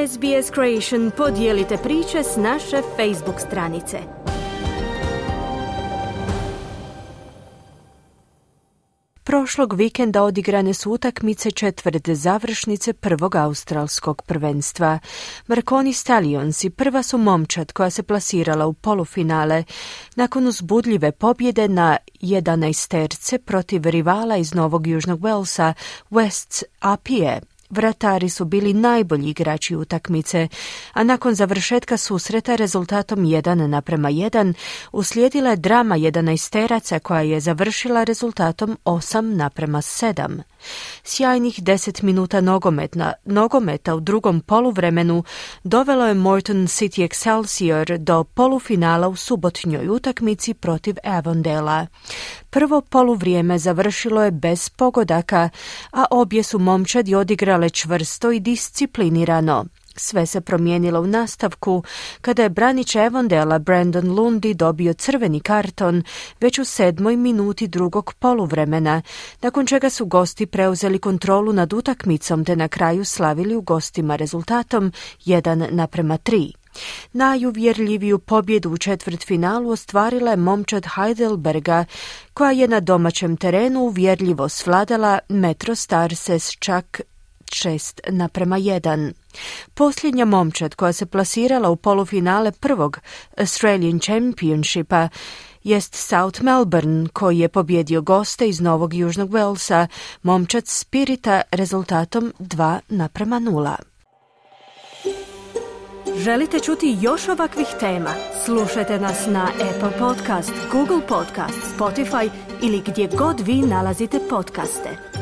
SBS Creation podijelite priče s naše Facebook stranice. Prošlog vikenda odigrane su utakmice četvrte završnice prvog australskog prvenstva. Marconi Stallionsi prva su momčad koja se plasirala u polufinale nakon uzbudljive pobjede na 11 protiv rivala iz Novog Južnog Walesa, Wests Apije. Vratari su bili najbolji igrači utakmice, a nakon završetka susreta rezultatom 1:1 uslijedila je drama 11-teraca koja je završila rezultatom 8:7. Sjajnih 10 minuta nogometa u drugom poluvremenu dovelo je Moreton City Excelsior do polufinala u subotnjoj utakmici protiv Avondale. Prvo poluvrijeme završilo je bez pogodaka, a obje su momčadi odigrale čvrsto i disciplinirano. Sve se promijenilo u nastavku kada je branič Avondala Brandon Lundy dobio crveni karton već u 7. minuti drugog poluvremena, nakon čega su gosti preuzeli kontrolu nad utakmicom te na kraju slavili u gostima rezultatom 1:3. Najuvjerljiviju pobjedu u četvrtfinalu ostvarila je momčad Heidelberga, koja je na domaćem terenu uvjerljivo svladala Metro Starse s čak 6:1. Posljednja momčad koja se plasirala u polufinale prvog Australian Championshipa jest South Melbourne, koji je pobjedio goste iz Novog Južnog Walesa, momčad Spirita, rezultatom 2:0. Želite čuti još ovakvih tema? Slušajte nas na Apple Podcast, Google Podcast, Spotify ili gdje god vi nalazite podcaste.